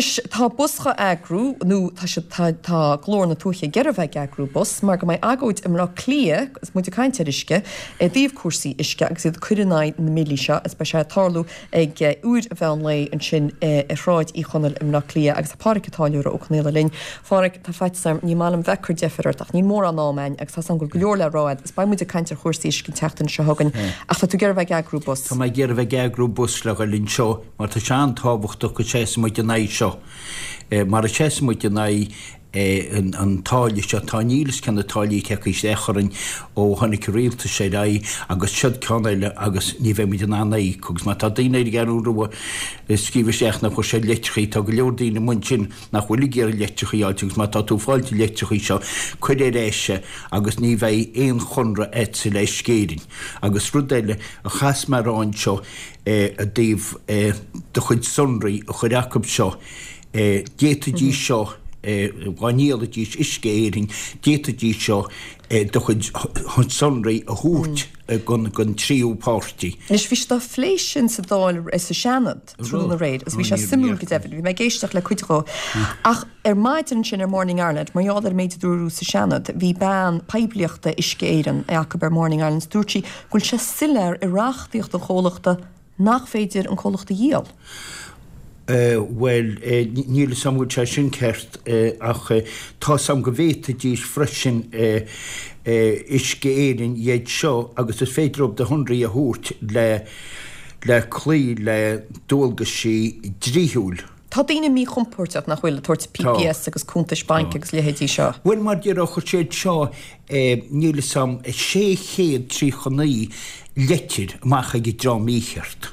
Anois, tá bus dhá eagrú, nó tá siad, tá, tá Glór na Tuaithe ag iarraidh bheith ag eagrú bus, mar go mbeidh agóid i mBleá Cliath, agus muid ag caint ar uisce, i dtaobh cúrsaí uisce agus iad ag cur in aghaidh na mbillí seo, agus beidh sé ag tarlú ag uair an mheán lae ansin i Sráid Uí Chonaill i mBleá Cliath agus tá Pádhraic Ó Táilliúra Ó Conaola linn. Phádhraic, tá faitíos orm, ní maith liom bheith ag cur deifir ort ach níl mórán am a'inn agus tá 's a'm go bhfuil go leor le rá a'd agus beidh muid ag caint ar chúrsaí uisce an tseachtain seo chugainn ach tá tú ag iarraidh bheith ag eagrú bus. Tá mé ag iarraidh bheith ag eagrú bus le dhul anseo mar tá sé an-tábhachtach go seasfaidh muid in aghaidh seo. Mar a seasfaidh muid in aghaidh an táille seo, tá níl fhios cé na táillí atá acu isteach orainn ó tháinig an rialtas ar aghaidh agus siod ceann eile agus ní bheidh muid in ann a íoc agus má tá daoine ar an gCeathrú Rua ag scríobh isteach nach bhfuair siad leitreachaí, tá go leor daoine amuigh ansin nach bhfuil ag iarraidh leitreachaí a fháilt agus má tá tú ag fáilt na leitreachaí seo, cuir ar ais é agus ní bheidh aon chonradh a'dsa le Uisce Éireann. Agus rud eile a chas mé a rá anseo i dtaobh do chuid sonraí a chur acub seo, D'fhéadfaidís seo, dá ndíolfaidís Uisce Éireann, d'fhéadfaidís seo do chuid sonraí a thabhairt don tríú páirtí. Anois, bhí siad á phlé sin sa Dáil, sa Seanad, tráthnóna aréir agus bhí sé suimiúil go deimhin. Bhí mé ag éisteacht le cuid dhó. Ach ar maidin ansin ar Morning Ireland, mar gheall ar an méid a dúradh sa Seanad, bhí bean poiblíochta Uisce Éireann acu ar Morning Ireland is dúirt sí go bhfuil sé soiléir i reachtaíocht an chomhlachta nach féidir an comhlacht a dhíol. Bhuel, níl 'fhios a'm an bhfuil sé sin ceart, ach tá 'fhios a'm go bhféadfaidís freisin Uisce Éireann iad seo agus is féidir leo do shonraí a thabhairt le le cloí le dualgaisí dlíthiúil. Tá daoine míchompordach, nach bhfuil, ag tabhairt PPS agus cuntais bainc agus leithéidí seo. Bhuel, mar déarfá, chuir siad seo, níl 'fhios a'm, 639 leitir amach ag an dream mícheart.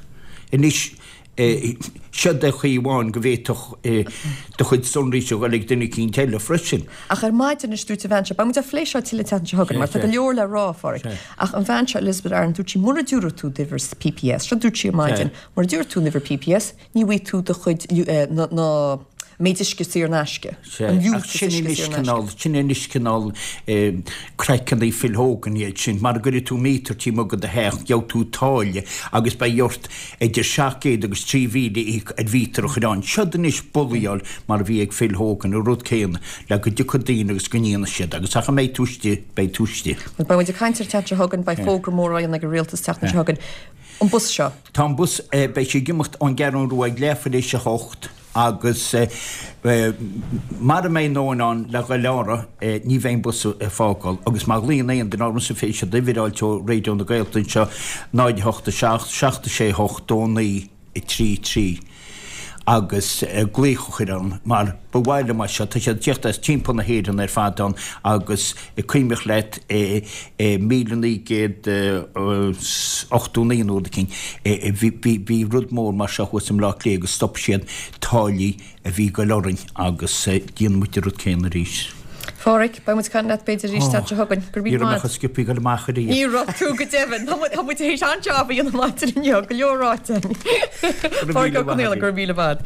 Anois, seod é chaoi amháin go bhféadfadh do chuid sonraí a dhul ag duine eicínt eile freisin. Ach ar maidin anois dúirt an bhean seo, beidh muid á phlé seo tuilleadh an tseachtain seo chugainn mar tá go leor le rá, a Pháraic, ach an bhean seo, Elizabeth Aaron, dúirt sí mura dtabharfaidh tú d'uimhir PPS, seo dúirt sí ar maidin, mura dtabharfaidh tú an uimhir PPS, Ní bhfaighidh tú do chuid, na, méid uisce saor in aisce, an liúntas uisce saor in aisce. Sin anois cineál craiceanna Phil Hogan iad sin. Mara gcuirfidh tú míotar taobh amuigh de do theach, gheobhaidh tú táille agus beidh ort idir 700 agus 3,000 a íoc ar mhíotar a chur ann. Seod anois bullaíáil mar a bhí ag Phil Hogan, an rud céanna, le go dtiocfaidh daoine agus go ndéanfaidh siad agus ach a mbeidh tú istigh, beidh tú istigh. Bhuel, beidh muid ag caint air an tseachtain seo chugainn, beidh fógra mór á dhéanamh ag an Rialtas an tseachtain seo chugainn. An bus seo. Tá an bus, beidh sé ag imeacht ón gCeathrú Rua ag leathuair tar éis a hocht agus mara mbeidh a ndóthain ann le dhul orthu ní bheidh an bus ag fágáil agus má ghlaonn aon duine ormsa féadfaidh siad uimhir a fháilt ó Raidió na Gaeltachta anseo 0 8 7 7 6 8 2 9 3 3 agus glaoch a chur orm mar ba mhaith liom é seo, tá siad ag tíocht as timpeall na hÉireann ar fad ann agus cuimhnigh leat i 1989 nó rud eicínt bhí rud mór mar seo thuas i mBleá Cliath agus stop siad táillí a bhí ag goil orainn agus déanfaidh muid an rud céanna arís. Pháraic, beidh muid ag caint leat b'fhéidir arís an tseachtain seo chugainn. Go raibh míle maith. Ní raibh mé chomh sciobtha ag dul amach ariamh. Ní raibh tú go deimhin. Tá muid théis an-jab a dhéanamh maidin inniu, go leor ráite. Pádraic Ó Conaola, go raibh míle maith.